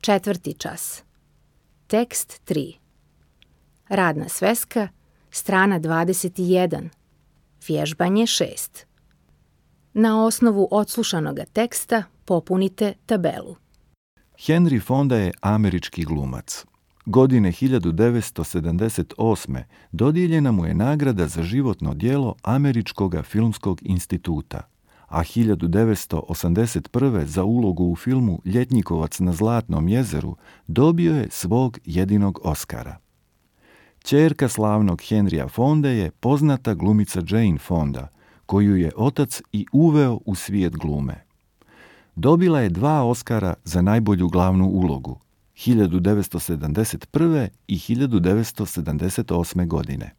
Četvrti čas. Tekst 3. Radna sveska, strana 21. Vježbanje 6. Na osnovu odslušanoga teksta popunite tabelu. Henry Fonda je američki glumac. Godine 1978. dodijeljena mu je nagrada za životno djelo Američkog filmskog instituta, a 1981. za ulogu u filmu Ljetnikovac na Zlatnom jezeru dobio je svog jedinog Oskara. Ćerka slavnog Henrya Fonde je poznata glumica Jane Fonda, koju je otac i uveo u svijet glume. Dobila je 2 Oskara za najbolju glavnu ulogu, 1971. i 1978. godine.